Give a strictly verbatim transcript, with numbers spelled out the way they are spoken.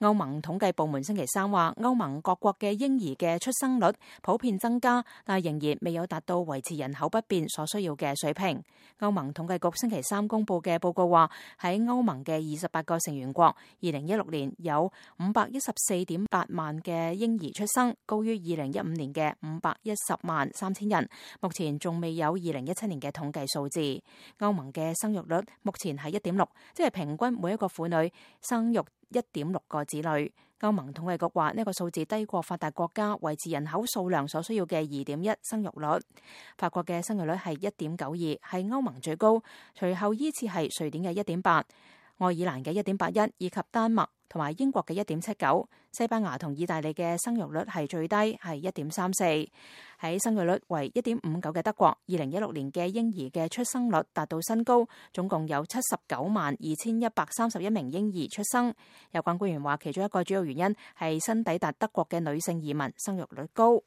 歐盟統計部門星期三話，歐盟各國嘅嬰兒嘅出生率普遍增加，但係仍然未有達到維持人口不變所需要嘅水平。歐盟統計局星期三公布嘅報告話，喺歐盟嘅二十八個成員國，二零一六年有五百一十四點八萬嘅嬰兒出生，高於二零一五年嘅五百一十萬三千人。目前仲未有二零一七年嘅統計數字。歐盟嘅生育率目前係一點六，即係平均每一個婦女生育一點六個子女。歐盟統計局話呢個數字低過發達國家維持人口數量所需要嘅二點一生育率。法國嘅生育率係一點九二，係歐盟最高，隨後依次係瑞典嘅一點八、愛爾蘭嘅一點八一，以及丹麥同埋英國嘅一點七九。西班牙同意大利嘅生育率係最低，係一點三四。喺生育率為一點五九嘅德國，二零一六年嘅嬰兒嘅出生率達到新高，總共有七十九萬二千一百三十一名嬰兒出生。有關官員話，其中一個主要原因係新抵達德國嘅女性移民生育率高。